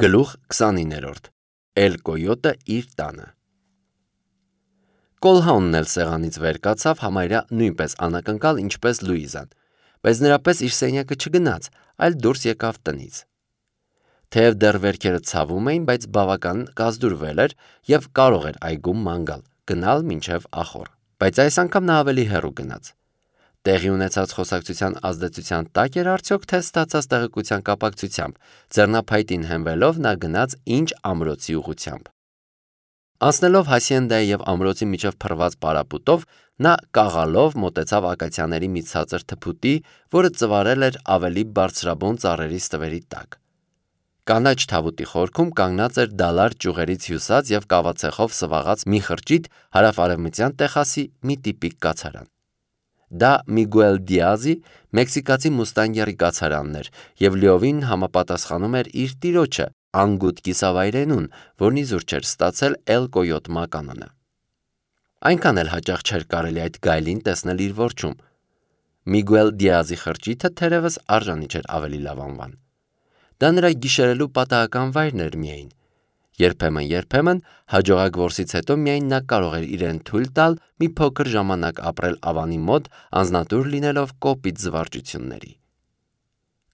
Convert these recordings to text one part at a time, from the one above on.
Գլուխ 29-րդ Էլ Կոյոտը իր տանը Կոլհաունն էլ սեղանից վեր կացավ համարյա նույնպես անակնկալ ինչպես Լուիզան, բայց նրա պես իր սենյակը չգնաց, այլ դուրս եկավ տնից։ Թեև դեռ վերքերը ցավում էին, բայց բավական կազդուրվել էր և կարող էր այգում ման գալ, գնալ մինչև ախոր, բայց այս անգամ նա ավելի հեռու գնաց։ Տեղի ունեցած խոսակցության ազդեցության տակ էր արդյոք թե ստացած տեղեկության կապակցությամբ, ձեռնափայտին հենվելով նա գնաց ինչ ամրոցի ուղղությամբ։ Անցնելով հասիենդայի և ամրոցի միջև փռված պարապուտով, նա կաղալով մոտեցավ ակացիաների մի ցածր թփուտի, որը ծվարել էր ավելի բարձրաբուն ծառերի ստվերի տակ։ Կանաչ թավուտի խորքում կանգնած էր դալար ճյուղերից հյուսած և կավացեխով սվաղած մի խրճիթ հարավ-արևմտյան Տեխասի մի տիպիկ կացարան։ Դա Միգուել Դիազի մեքսիկացի մուստանգերի կացարանն էր և լիովին համապատասխանում էր իր տիրոջը անգութ կիսավայրենուն, որն իզուր չէր ստացել Էլ Կոյոտ մականունը։ Այնքան էլ հաճախ չէր կարելի այդ գայլին տեսնել իր որջում։ Միգուել Դիազի խրճիթը թերևս արժանի չէր ավելի լավ անվան։ Դա նրա գիշերելու պատահական վայրն էր միայն։ Երբեմն հաջողակ որսից հետո միայն նա կարող էր իրեն թույլ տալ մի փոքր ժամանակ ապրել ավանի մոտ, անձնատուր լինելով կոպիտ զվարճությունների։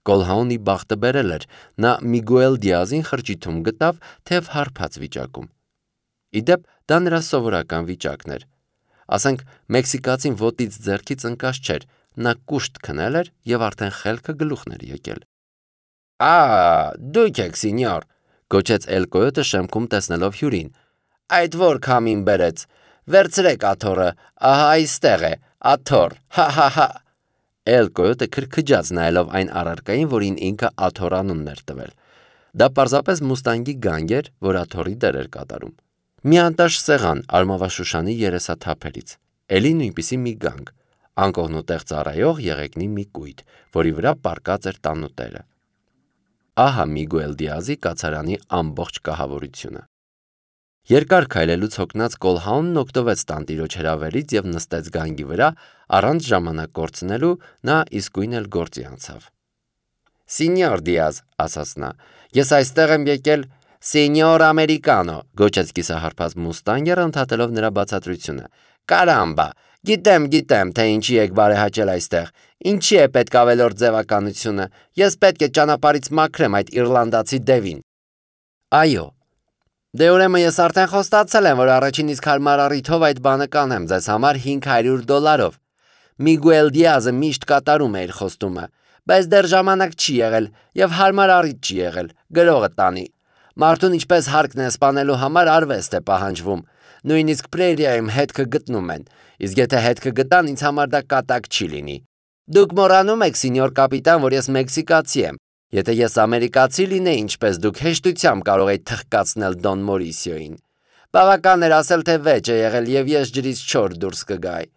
Կոլհաունի բախտը բերել էր, նա Միգուել Դիազին խրճիթում գտավ թեև հարբած վիճակում։ Ի դեպ, դա նրա սովորական վիճակն էր։ Ասենք, մեքսիկացին ոտից ձեռքից ընկած չէր, նա կուշտ քնել էր և արդեն խելքը գլուխն էր եկել։ Դուք եք, սինյոր, գոչեց Էլ Կոյոտը շեմքում տեսնելով հյուրին։ Այդ որ քամին բերեց, վերցրեք աթոռը, ահա այստեղ է, աթոռ, հա։ Էլ Կոյոտը քրքջաց նայելով այն առարկային, որին ինքը աթոռ անունն էր տվել։ Դա պարզապես մուստանգի գանգ էր, որ աթոռի դեր էր կատարում։ Մի անտաշ սեղան արմավաշուշանի երեսաթափերից, էլի նույնպիսի մի գանգ, անկողնուտեղ ծառայող եղեգնի մի կույտ, որի վրա պառկած էր տանուտերը։ Ահա Միգուել Դիազի կացարանի ամբողջ կահավորությունը։ Երկար քայլելուց հոգնած Կոլհաունն օգտվեց տանտիրոջ հրավերից և նստեց գանգի վրա, առանց ժամանակ կորցնելու նա իսկույն էլ գործի անցավ։ Սինյոր Դիազ, ասաց նա, ես այստեղ եմ եկել Սենյոր Ամերիկանո, գոչեց կիսահարբած մուստանգերը ընդհատելով նրա բացատրությունը։ Կարամբա, գիտեմ, թե ինչի եք բարեհաճել այստեղ, ինչի է պետք ավելորդ ձևականությունը, ես պետք է ճանապարհից մաքրեմ այդ իռլանդացի դևին։ Այո, դե ուրեմն ես արդեն խոստացել եմ, որ առաջին իսկ հարմար առիթով այդ բանը կանեմ ձեզ համար $500։ Միգուել Դիազը միշտ կատարում է իր խոստումը, բայց դեռ ժամանակ չի եղել և հարմար առիթ չի եղել, գրողը տանի։ Մարդուն ինչպես հարկն է սպանելու համար արվեստ է պահանջվում, նույնիսկ պրերիայում հետքը գտնում են, իսկ եթե հետքը գտան, ինձ համար դա կատակ չի լինի։ Դուք մոռանում եք, սինյոր կապիտան, որ ես մեքսիկացի եմ։ Եթե ես ամերիկացի լինեի, ինչպես դուք, հեշտությամբ կարող էի թխկացնել Դոն Մորիսիոին։ Բավական էր ասել, թե վեճ է եղել և ես ջրից չոր դուրս կգայի։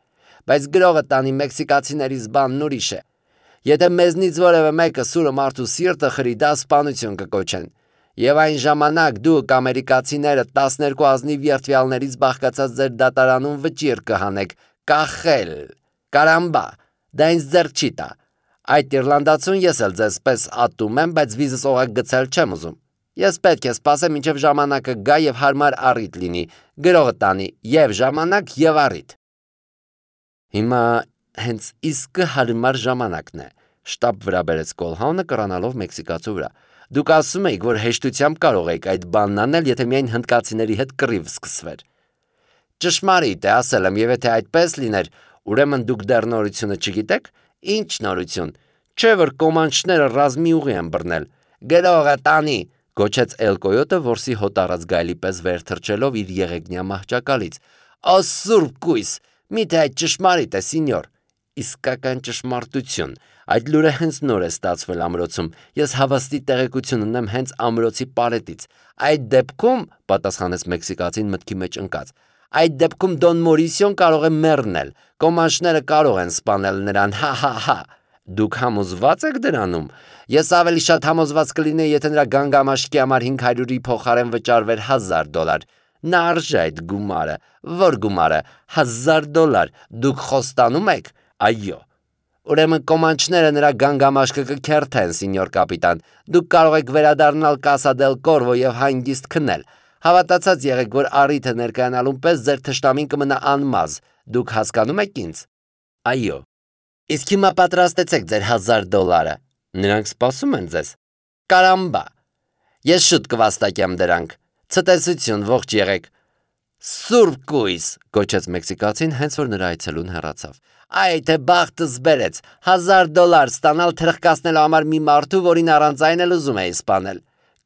Բայց գրողը տանի մեքսիկացիներից բանն ուրիշ է։ Եթե մեզնից որևէ մեկը սուրը մարդու սիրտը խրի, դա սպանություն կկոչեն։ Եվ այն ժամանակ դուք ամերիկացիները 12 ազնիվ երդվյալներից բաղկացած ձեր դատարանում վճիռ կհանեք, կախել, կարամբա, դա ինձ ձեռք չի տա։ Այդ իռլանդացուն ես էլ ձեզ պես ատում եմ, բայց վիզս օղակ գցել չեմ ուզում։ Ես պետք է սպասեմ, մինչև ժամանակը գա և հարմար առիթ լինի, գրողը տանի և ժամանակ և առիթ։ Հիմա հենց իսկը հարմար ժամանակն է, շտապ վրա բերեց Կոլհաունը կռանալով մեքսիկացու վրա։ Դուք ասում եք, որ հեշտությամբ կարող եք այդ բանն անել, եթե միայն հնդկացիների հետ կռիվ սկսվեր։ Ճշմարիտ է, ասել եմ, և եթե այդպես լիներ, ուրեմն դուք դեռ նորությունը չգիտեք։ Ինչ նորություն։ Չէ՞ որ կոմանչները ռազմի ուղի են բռնել։ Գրողը տանի, գոչեց Էլ Կոյոտը որսի հոտ առած գայլի պես վեր թռչելով իր եղեգնյա մահճակալից։ Սուրբ կույս, միթե այդ ճշմարիտ է, սինյոր։ Իսկական ճշմարտություն։ Այդ լուրը հենց նոր է ստացվել ամրոցում։ Ես հավաստի տեղեկություն ունեմ հենց ամրոցի պարետից։ Այդ դեպքում, պատասխանեց մեքսիկացին մտքի մեջ ընկած, այդ դեպքում Դոն Մորիսիոն կարող է մեռնել, կոմանչները կարող են սպանել նրան, հա։ Դուք համոզված եք դրանում։ Ես ավելի շատ համոզված կլինեի, եթե նրա գանգամաշկի համար 500-ի փոխարեն վճարվեր $1000։ Նա արժե այդ գումարը։ Որ գումարը, $1000։ Դուք խոստանում եք։ Այո։ Ուրեմն կոմանչները նրա գանգամաշկը կքերթեն, սինյոր կապիտան, դուք կարող եք վերադառնալ Կասա դել Կորվո և հանգիստ քնել, հավատացած եղեք, որ առիթը ներկայանալուն պես ձեր թշնամին կմնա անմազ, դուք հասկանում եք ինձ։ Այո։ Իսկ հիմա պատրաստեցեք ձեր $1000, նրանք սպասում են ձեզ։ Կարամբա, ես շուտ կվաստակեմ դրանք, ցտեսություն, ողջ եղեք։ Սուրբ կույս, գոչեց մեքսիկացին, հենց որ նրա այցելուն հեռացավ։ Այ թե բախտս բերեց, $1000 ստանալ թրխկացնելու համար մի մարդու, որին առանց այն էլ ուզում էի սպանել։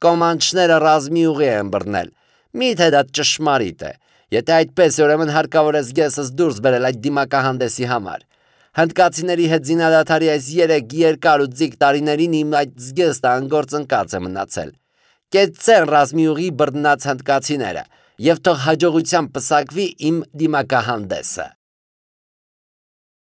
Կոմանչները ռազմի ուղի են բռնել։ Միթե դա ճշմարիտ է։ Եթե այդպես է, ուրեմն հարկավոր է զգեստս դուրս բերել այդ դիմակահանդեսի համար։ Հնդկացիների հետ զինադադարի այս 3 երկար ու ձիգ տարիներին իմ այդ զգեստը անգործընկած է մնացել։ Կեցցեն ռազմի ուղի բռնած հնդկացիները, և թող հաջողությամբ պսակվի իմ դիմակահանդեսը։